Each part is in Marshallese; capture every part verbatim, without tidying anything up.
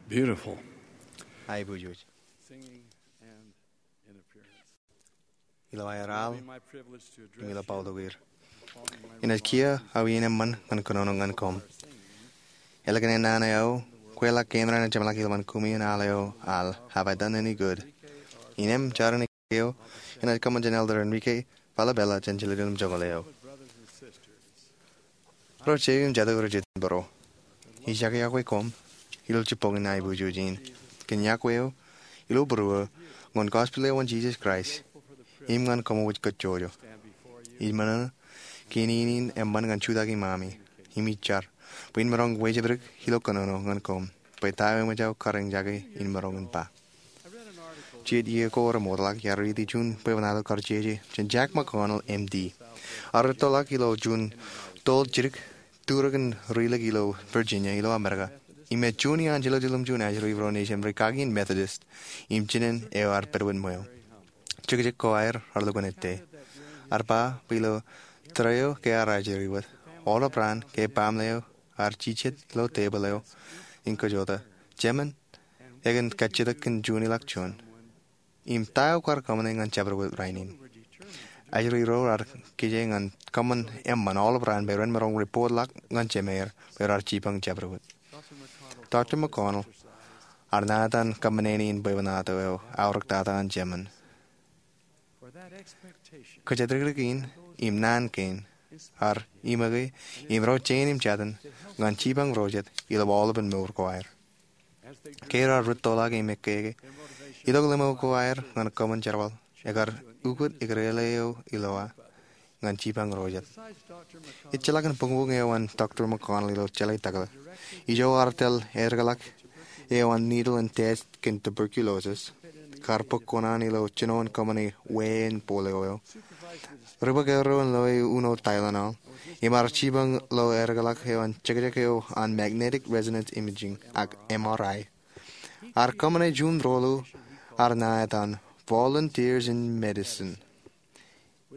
Beautiful. Aiboojoj. Singing and in appearance. Ilo aer al, im ilo bōktok er. Inaaj kiiō aō iien eṃṃan ñan kōnono ñan koṃ. Ālikin ennaan eo aō, kweilọk kein raṇ ej jeṃḷọk ilowaan koṃwin al eo al Have I Done Any Good? Innām jar in eo, inaaj kōṃṃan jān Elder Enrique Falabella jān Jeḷāḷọkjeṇ eo. Ro jeiū im jatū rej jitōnbōro, ij iọkwe koṃ ilo jibboñin aiboojoj in kōn iọkwe eo ilo būruō ñan gospel eo an Jisōs Kraist im ñan koṃwōj kajjojo. Ij ṃōṇōṇō kein in eṃṃan ñan jutak iṃaami im ij jar bwe in maroñ wejepdik ilo kōnono ñan koṃ bwe ta eo eṃōj aō kariñjake in maroñ in ba. Jijet iiō ko remootḷọk iar riiti juon bwebwenato kar jeje jān Jack McConnell, M D. Ear rūttoḷọk ilo juon toḷ jidik turōkin rilik ilo Virginia ilo Amerika. Im ej juon iaan jeḷāḷọkjeṇ juon ajri ro nejūṃ ri kaki in Methodist im jinen eo ear pedwet ṃweo. Jekjek ko aer ear lukkuun ettā. Ear ba bwe ilo tōre eo ke ear ajri wōt, aolep raan ke baaṃle eo ear jijet ilo tebōḷ eo im kajota, jemān ekōn kajjitōk kōn juon ilọk juon. Im ta eo kwaar kōṃṃane ñan jabdewōt rainin? Ajri ro ear kije ñan kōṃṃan eṃṃan aolep raan bwe ren maroñ report ḷọk ñan jemāer bwe raar jipañ jabdewōt. Doctor McConnell ear naan etan kōṃṃane in bwebwenato eo aorōktata an jemān. Kōjatdikdik in im naan kein ear iṃōke im ro jein im jatin ñan jipañ ro jet ilo aolepen mour ko aer. Ke raar rūttoḷọk im ekkeke, itok limo ko aer ñan kōṃṃan jerbal ekar ukōt eklele eo ilo aō ñan jipañ ro jet. Ejjeḷọk in buñbuñ eo an Doctor McConnell ilo jeḷā takḷō. Ijo ear tōl aerōkḷọk eo an needle in test kōn tuberculosis, kar bōk kuṇaan ilo jino in kōṃṃane wāween polio eo, ri bōk erro in loe uno Tylenol, im ear jipañ ilo aerōkḷọk eo an jekjek eo an magnetic resonance imaging ak M R I. Ear kōṃṃane juon rōḷḷu ear naan etan Volunteers in Medicine.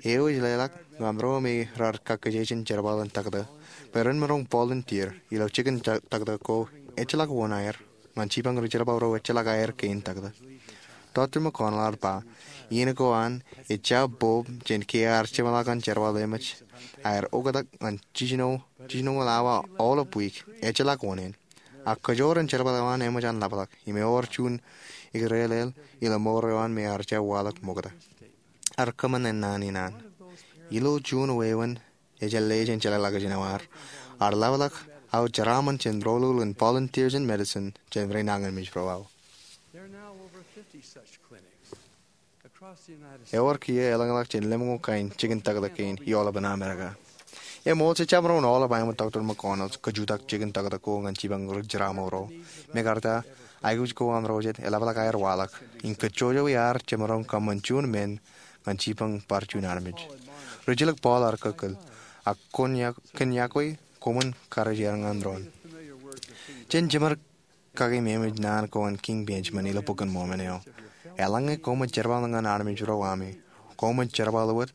Eo ej leḷọk ñan ro me raar kakkije jān jerbal in taktō bwe ren maroñ volunteer ilo jikin taktō ko ejjeḷọk wōn aer ñan jipañ ri jerbal ro ejjeḷọk aer kein taktō. Doctor McConnell ear ba, iien ko an ej jab bōb jān ke ear jeṃḷọk an jerbal eṃōj aer oktak ñan jiljino, jiljinoñoul awa aolep wiik, ejjeḷọk wōn en. Ak kōjoor in jerbal eo an eṃōj an ḷapḷọk im ewōr juon eklele ilo mour eo an me ear jab waḷọk ṃokta. Ear kōṃṃane naan in an. Ilo juon wāween ejjeḷọk jān jeḷā ḷọkjeṇ eo an, ear ḷapḷọk aō jeraaṃṃan jān rōḷḷu in Volunteers in Medicine jān ri nañinmej ro aō. Ewōr kiiō elōñḷọk jān lemñoul kain jikin taktō kein i aolepen Amerika. Eṃool, jejjab maroñ aolep aeṃ Doctor McConnell kajutak jikin taktō ko ñan jipañ ri jeraaṃṃan ro. Mekarta, aikuj ko an ro jet eḷapḷọk aer waḷọk im kajjojo iaar jemaroñ kōṃṃan juon men ñan jipañ bar juon armej. Rijilōk Paul ear kōkkōl, ak kōn iọkwe koṃwin karijerañ ñan doon. Jen jemed kaki im eṃōj naan ko an King Benjamin ilo Bok in Mormon eo. Eḷaññe koṃij jerbal ñan armej ro ami, koṃij jerbal wōt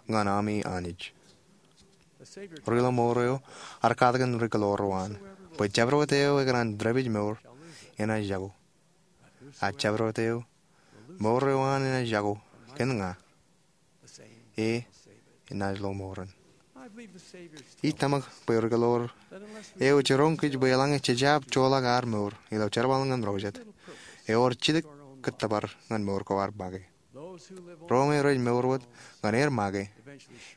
ñan ami Anij. Ri ilo mour eo ear katakin ri kōḷoor ro an bwe jabdewōt eo ekōṇaan dāpij mour enaaj jako. Ak jabdewōt eo mour eo an enaaj jako kōn ña, e enaaj lo mour in. Ij tōmak bwe ri kōḷoor eo ej jiroñ kōj bwe eḷaññe jej jab joḷọk ad mour ilo jerbal ñan ro jet, ewōr jidik kōttōpar ñan mour ko ad make. Ro me rej mour wōt ñan aer make,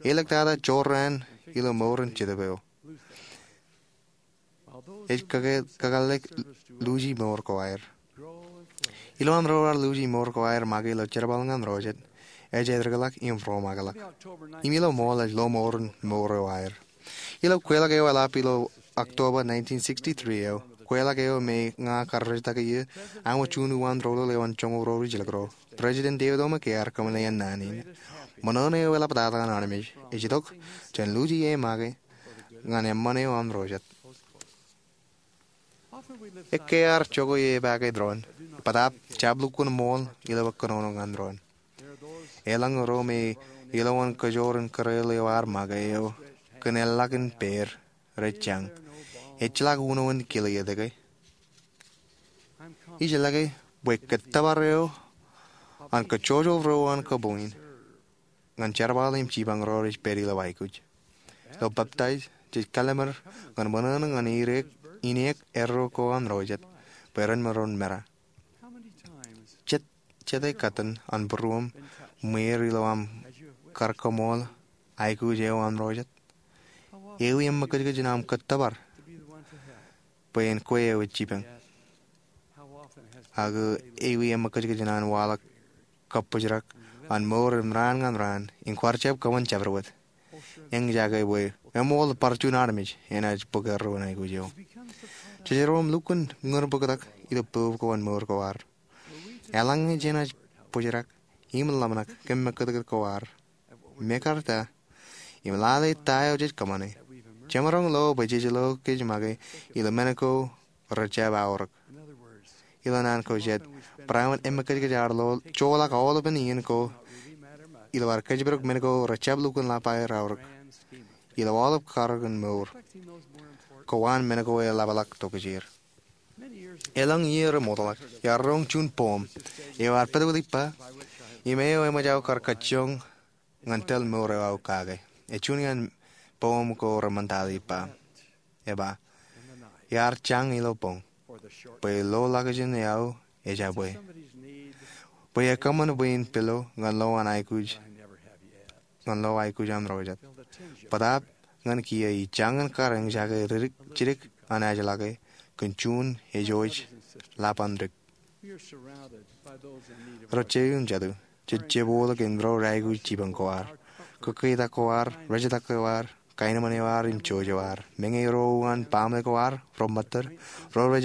āliktata jorrāān ilo mour in jetōb eo. Ej kakāllik luuji mour ko aer. Ilo an ro raar luuji mour ko aer make ilo jerbal ñan ro jet, ej edikḷọk im romakḷọk. Im ilo ṃool ej lo mour in mour eo aer. Ilo kweilọk eo eḷap ilo October nineteen sixty-three eo, kweilọk eo me ña karrejtake ie, aṃ wōt juon uwaan rōḷḷōḷ eo an joñoul ro rijilōk ro, President David O. McKay ear kōṃṃane naan in. Ṃōṇōṇō eo eḷaptata an armej ej itok jān luuji e make ñan eṃṃan eo an ro jet. Ekkā ear jokwe e pake doon, bōtaab jab lukkuun ṃool ilo kōnono ñan doon. Eḷaññe ro me ilowaan kajoor in kōrā eo ad make eo kōn eḷḷọk in peid rej jañ, ejjeḷọk uno in kile etke. Ij lōke bwe kōttōpar eo an kōjjojo ro uwaan kabuñ in ñan jerbal im jipañ ro rej pād ilo aikuj. Ilo peptaij, jej kallimur ñan ṃōṇōṇō ñan ineek, ineek erro ko aṃ ro jet bwe ren maroñ mera. Jet, jete katten an būruōṃ ṃweer ilo aṃ kar kaṃool aikuj eo aṃ ro jet? Ewi eṃṃakūtkūt in aṃ kōttōpar bwe en kwe eo ej jipañ? Ak ewi eṃṃakūtkūt in an waḷọk kabbōjrak an mour im raan ñan raan im kwaar jab kōṃṃan jabdewōt? Eñjake bwe eṃool bar juon armej enaaj bōk erro in aikuj eo. Jejeroṃ lukkuun ñūrbōktak ilo poob ko an mour ko ad. Eḷaññe jenaaj bōjrak im ḷōmṇak kōn eṃṃakūtkūt ko ad, mekarta im lale ta eo jej kōṃṃane, jemaroñ lo bwe jej lo kōj make ilo men ko rejjab aorōk. Ilo naan ko jet, barāinwōt eṃṃakūtkūt ad joḷọk aolepen iien ko ilo ad kōjparok men ko rejjab lukkuun lap aer aorōk ilo aolep karōk in mour ko an men ko eḷapḷọk tokjāer. Elōñ iiō remootḷọk, iar roñ juon poem eo ear pād wōt ippa im eo eṃōj aō kar kajjioñ ñan tōl mour eo aō kake. Ej juon iaan poem ko reṃōn tata ippa. Eba, iar jañ ilo boñ, bwe lo lakjān eo aō ejabwe, bwe ekōṃṃan bwe in pilo ñan lo an aikuj, ñan lo aikuj aṃ ro jet. Bōtaab ñan kiiō ij jañin kar eñjake jidik an ajlake kōn juon ejoj lap an dik. Ro jeiū im jatū, jej jebwōtḷọk im ro reaikuj jipañ ko ad, kōkketak ko ad, rejetak ko ad, kaenōṃṃan eo ad im jouj eo ad, meñe ro uwaan baaṃle ko ad, ro ṃōttad, ro rej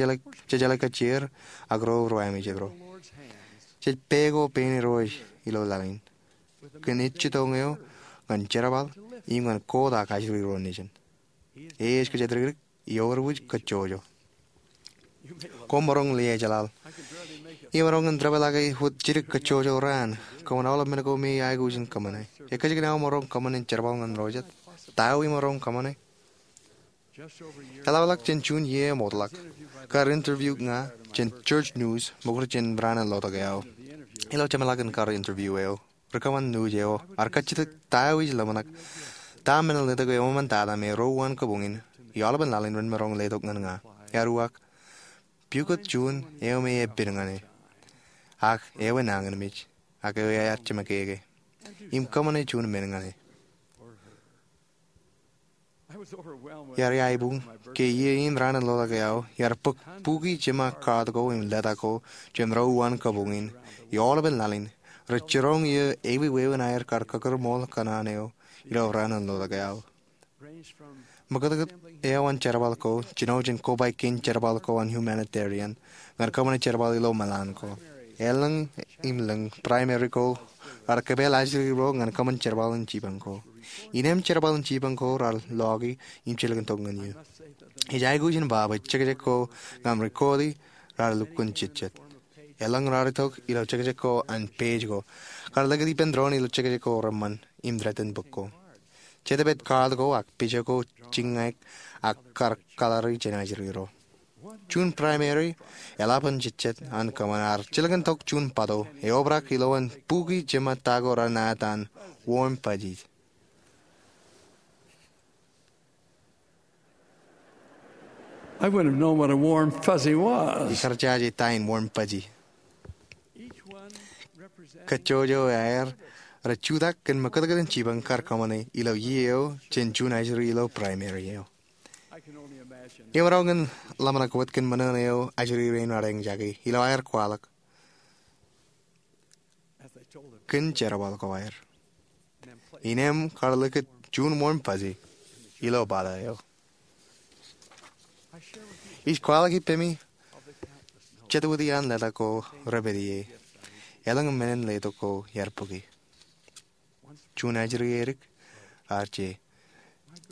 jeḷā kajjieer, ak ro rej amejet ro. Jej pā ko pein Irooj ilo laḷ in kōn ejjitōñ eo ñan jerbal im ñan kotak ajri ro nejin. E ej kōjatdikdik im eor wōj kōjjojo. Koṃ maroñ ḷe ejeḷaḷ. Imaroñ in debōḷọke wōt jidik kōjjojo raan. Kōṃṃan aolep men ko me aikuj in kōṃṃane. Ekōjkan aō maroñ kōṃṃan in jerbal ñan ro jet? Ta eo imaroñ kōṃṃane? Eḷapḷọk jān juon iiō eṃootḷọk, kar interview ña jān Church News, ṃokta jān raan in lotok eo aō. Ilo jeṃḷọkin kar interview eo, ri kōṃṃan news eo ear kajjitōk ta eo ij ḷōmṇak, ta men in letok eo eṃṃan tata me ro uwaan kabuñ in, im aolepen laḷ in ren maroñ letok ñan ña. Ear uwaak, pukot juon eo me epād ñan e, ak eo enañinmej, ak eo ear jeṃakeke, im kōṃṃane juon men ñan e. Iar iaibuñ ke iiō in raan in lotok eo aō, iar bōk buki jeṃa kaat ko im lōta ko jān ro uwaan kabuñ in, im aolepen laḷ in, rej jiroñ iiō ewi wāween aer kar kakūrmool kōṇaan eo ilo raan in lotok eo aō. Ṃōkātkāt eo an jerbal ko, jino jān kobaik kein jerbal ko an humanitarian, ñan kōṃṃane jerbal ilo meḷan ko. Elōñ im lōñ primary ko raar kōpeḷ ajri ro ñan kōṃṃan jerbal in jipañ ko. Innām jerbal in jipañ ko raar loki im jilkintok ñan iiō. Ij aikuj in ba bwe jekjek ko ña im record e raar lukkuun jejjet. Elōñ raar itok ilo jekjek ko an page ko. Kar likūt ippān doon ilo jekjek ko reṃṃan im threaten bōk ko. Jetōb ej kaat ko ak picture ko jiññaik ak kar kalari jān ajri ro. Juon primary eḷap an jejjet an kōṃṃan ear jilkintok juon bato eobrak ilowaan buki jeṃa ta ko raar ṇa etan warm fuzzy. I wouldn't have known what a warm fuzzy was. Ikar jaje ta in warm fuzzy. Kōjjojo aer rej jutak kōn ṃōkātkāt in jipañ kar kōṃṃane ilo iiō eo jān juon ajri ilo primary eo. Imaroñ in ḷōmṇak wōt kōn ṃōṇōṇō eo ajri rein raar eñjake ilo aer kwaḷọk kōn jerbal ko aer. Innām kar likūt juon warm fuzzy ilo bato eo. Ij kwaḷọk ippemi jet wōt iaan lōta ko repād ie. Elōñ men in letok ko iar bōke. Juon ajri edik, ear je.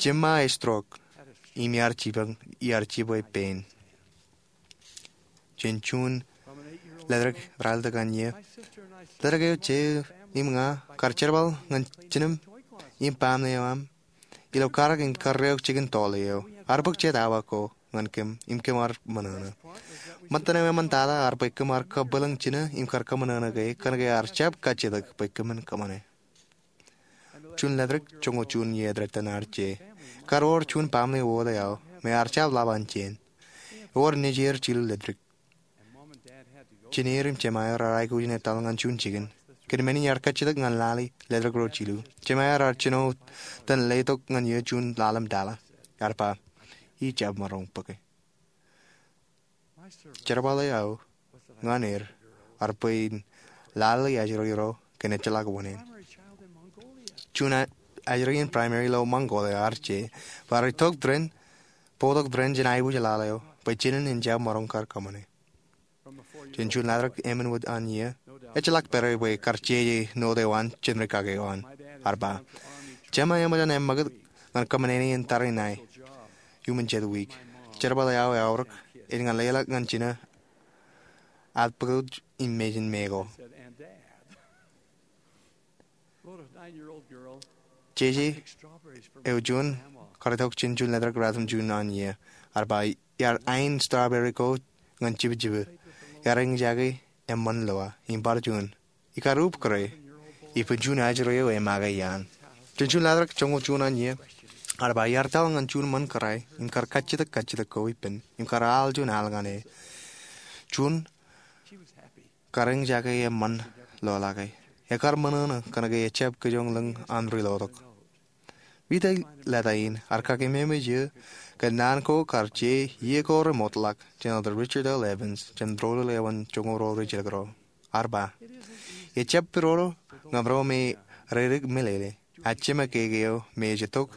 Jeṃa ej stroke, im iar jipañ, iar jibwe pein. Jān juon ledik ralitōk an iiō, ledik eo je im ña kar jerbal ñan jinōm im baaṃle eo aṃ ilo karōk in karreoik jikin tọọle eo. Ear bōk jet awa ko. ñan kōm im kōm ar ṃōṇōṇō. Ṃōttan eo eṃṃan tata ear bwe kōm ar kabwilōñ jino im kar kōṃṃan ṇe ke kōnke ear jab kajjitōk bwe kōmin kōṃṃane. Juun ḷaddik joñoul juon iiō etaṃ ear je. Kar wōr juon baaṃle wōt eo me ear jab ḷap an jeen. Ewōr nejier jilu ḷaddik. Jenair im jemaer ear aikuj in etal ñan juon jikin. Kōn men in ear kajjitōk ñan lale ḷaddik ro jilu, jemaer ear jino tōn letok ñan eō juon ḷalem tala. Ear ba, "Ij jab maroñ bōke." Jerbal eo aō ñan er ear bwe in lale ajri ro kōn ejjeḷọk wōṇāān. Juon ajri in primary ilo Ṃañkoḷ eo ear je, bar itok tōre in, bōktok tōre in jān aikuj lale eo bwe jenin en jab maroñ kar kōṃṃane. Jān juon ḷaddik emān wōt an iiō, ejjeḷọk pād bwe kar jeje note eo an jān rikaki eo an. Ear ba, "Jema eṃōj an eṃṃakūt ñan kōṃṃane in tariṇae iuṃwin jet wiik. Jerbal eo aō eaorōk, ej ñan leḷọk ñan jino ad bōktok im mejān me ko." Jeje eo juon kar itok jān juon ḷaddik ratimjuon an iiō. Ear ba, "Iar ain strawberry ko ñan jibjibe. Iar eñjake eṃṃan loa." Im bar juon, "Ikar ubōk ro." Ippān juon ajri eo emake iaan. Jān juon ḷaddik joñoul juon an iiō, ear ba, "Iar etal ñan juon ṃōn kōrā im kar kajjitōk kajjitōk ko ippān im kar al juon al ñan e." Juon kar eñjake eṃṃan loḷọke. Ekar ṃōṇōṇō kōnke ejab kijoñ lōñ an ri lotok. Wōt ḷetak in ear kakeememej eō kōn naan ko kar je iiō ko remootḷọk jān Elder Richard L. Evans jān Rōlul eo an Joñoul Ro Rijjilōk Ro. Ear ba, "Ejab pidodo ñan ro me reidik meḷeḷe, ak jemakeke eo me ej itok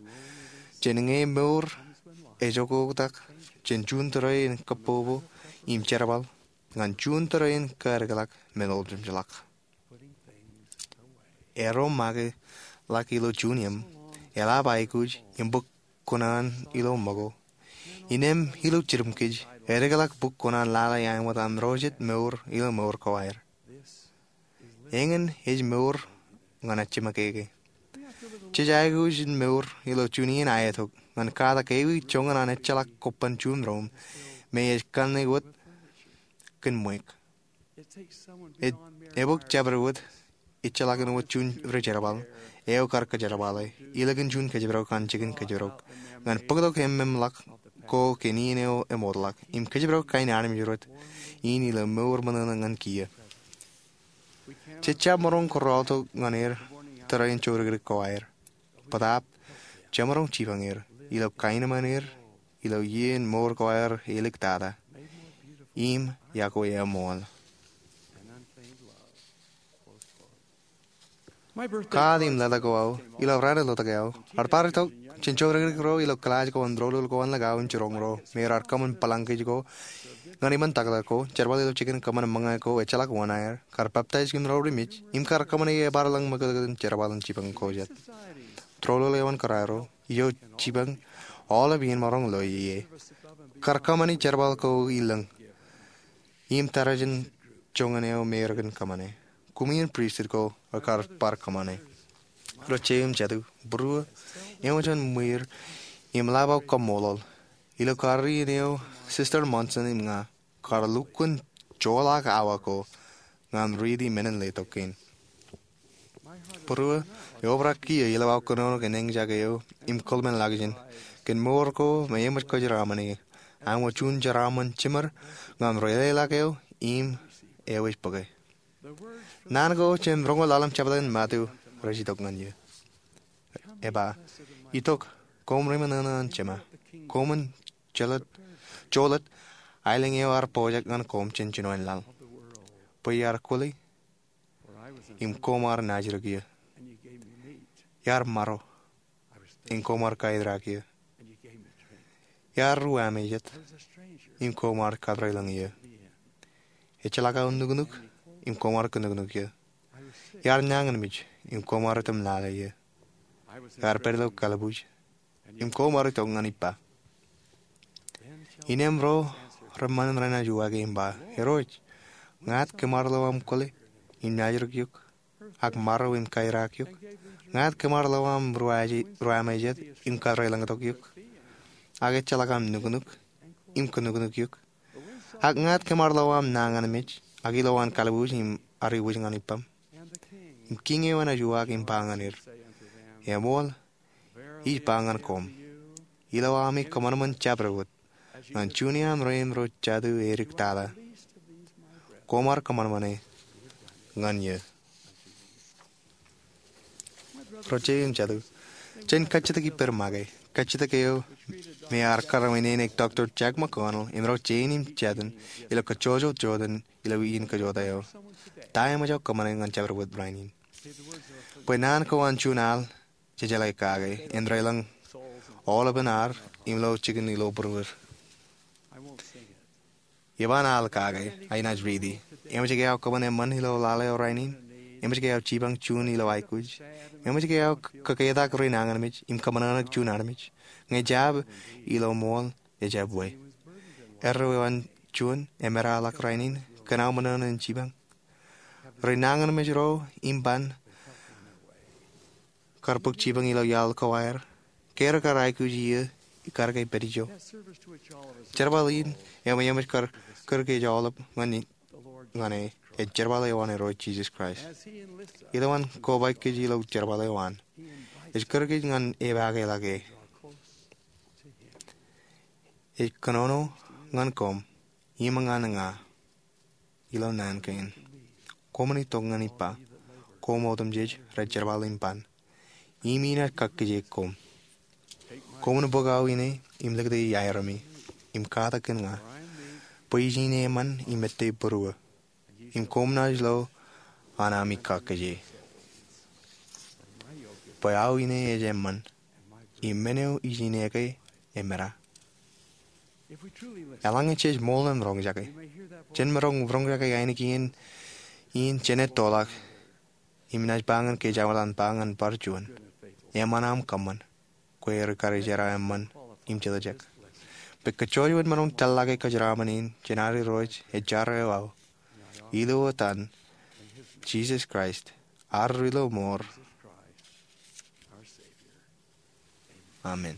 jān ñe mour ej oktak jān juon tōre in kōbbobo im jerbal ñan juon tōre in kaedikḷọk men eo ejjeḷọk." Eo make ḷọk ilo juon iiō, eḷap aikuj im bōk kuṇaan ilo ṃōko. Innem ilo jidim kōj, edikḷọk bōk kuṇaan lale āinwōt an ro jet mour ilo mour ko aer. Eñin ej mour ñan ejjemakeke. Jej aikuj in mour ilo juon iien aetok ñan katak ewi joñan an ejjeḷọk kobban juon ro me ej kanne wōt kōn ṃweiuk. Ej, ebōk jabdewōt ejjeḷọk in wōt juon ri-jerbal eo kar kōjerbale, ilikin juon kōjparok an jikin kōjparok, ñan bōktok eṃṃanḷọk ko kōn iien eo emootḷọk, im kōjparok kain armej rot in ilo mour ṃōṇōṇō ñan kiiō. Jej jab maroñ kōrọọltok ñan er tōre in jodikdik ko aer. Bōtaab, jemaroñ jipañ er ilo kaenōṃṃan er ilo iien mour ko aer eliktata im yokwe eṃool. Kaat im ḷetak ko aō ilo raan in lotok eo, ear bar itok jān jodikdik ro ilo kilaaj ko an Rōlul ko an Ḷọk Aō in jiroñ ro me raar kōṃṃan bōlañ kōj ko ñan iṃōn taktak ko, jerbal ilo jikin kōṃṃan ṃōñā ko ejjeḷọk wōṇāer, kar peptaij kōn ro ri mej, im kar kōṃṃane ebar lōñ ṃōkōtōk in jerbal in jipañ ko jet. Rōlul eo an kōrā ro, eo jipañ aolep iien maroñ loe ie. Kar kōṃṃane jerbal ko ilōñ im tarijeṇ joñan eo me rekōn kōṃṃane. Koṃ iien pristut ko rekar bar kōṃṃane. Ro jeiū im jatū, būruō, eṃōj an ṃwiir im ḷap aō kaṃṃoolol ilo karreoṇ eo Sister Monson im ña kar lukkuun joḷọk awa ko ñan riiti men in letok kein. Būruō, eobrak kiiō ilo aō kōnono kōn eñjake eo im kōḷmānḷọkjeṇ kōn mour ko me eṃōj kōjeraaṃṃan ie. Āinwōt juon jeraaṃṃan jiṃor ñan ri-leḷọk eo im eo ej bōke. Naan ko jān roñoul ḷalem jepta in Matu rej itok ñan eō. Eba, itok, koṃ ri-ṃōṇōṇō an Jema. Koṃwin jolōt, jolōt aelōñ eo ear pojak ñan koṃ jān jinoin laḷ, bwe iar kwōle im koṃ ar naajdik eō. Iar maro im koṃ ar kaeraak eō. Iar ruwamejet im koṃ ar katrelōñ eō. Ejjeḷọk aō nuknuk im koṃ ar kinuknuk eō. Iar nañinmej im koṃ ar itok im lale eō. Iar pād ilo kalbuuj im koṃ ar itok ñan ippa. Innem ro reṃṃan renaaj uwaake im ba, Irooj, ñāāt kōm ar lo aṃ kwōle im naajdik eok ak maro im kaeraak eok? Ñāāt kōm ar lo aṃ ruwamejet im katrelōñtok eok ak ejjeḷọk aṃ nuknuk im kōnuknuk eok. Ak ñāāt kōm ar lo aṃ nañinmej, ak ilo an kalbuuj im ar iwōj ñan ippaṃ. Im kiiñ eo enaaj uwaak im ba ñan er, Eṃool, ij ba ñan koṃ, ilo ami kōṃanṃan jabdewōt ñan juon iaan rein ro jatū edik tata, koṃ ar kōṃanṃane ñan eō. Ro jeiū im jatū, jen kajjitōk ippād make, kajjitōk eo me ear kar wūnin eo Doctor Jack McConnell im ro jein im jatū ilo kajjojo jota ilo iien kajota eo. Ta eṃōj aō kōṃṃane ñan jabdewōt rainin? Bwe naan ko an juon al jejeḷā kake, āindein aolep an ad im lo jikin ilo būruod. Eban al kake, inaaj riiti. Eṃōj ke aō kōṃṃan eṃṃan ilo lale eo rainin? Eṃōj ke aō jipañ juon ilo aikuj? Eṃōj ke aō kōketak ri nañinmej im kōṃōṇōṇō juon armej? Ñe jab, ilo ṃool, ejab we. Erreo eo an juon emeraḷọk rainin, kōn aō ṃōṇōṇō in jipañ? Ri nañinmej ro im ban kar bōk jipañ ilo iaḷ ko aer, ke rekar aikuj iiō kar ke pād ijo? Jerbal in eo me eṃōj kar kūr kōj aolep ñan e, ej jerbal eo an Irooj Jisōs Kraist. Ilo an kobaik kōj ilo jerbal eo an, ej kūr kōj ñan epaake ḷọk e. Ej kōnono ñan koṃ im ñan ña ilo naan kein. Koṃwin itok ñan ippa, koṃ otemjej rej jerbal im ban, im inaaj kakkije koṃ. Koṃwin bōk aō ine im likūti aeremi, im katak kōn ña, bwe ij ine eṃṃan im ettā būruō, im koṃ naaj lo an ami kakkije. Bwe aō ine ej eṃṃan, im men eo ij ine ke emera. Eḷaññe jej ṃool im roñjake, jen maroñ roñjake ainikien in jenaaj ettoḷọk, im inaaj ba ñan kōj aolep an ba ñan bar juon, eṃṃan aṃ kōṃṃan, kwe rikaki jera eṃṃan im jete jek. Bwe kajjojo wōt maroñ tōllọke kōjeraaṃṃan in jān ad Irooj ej jar eo aō, ilo etan Jisōs Kraist, ad Ri-lomour. Amen.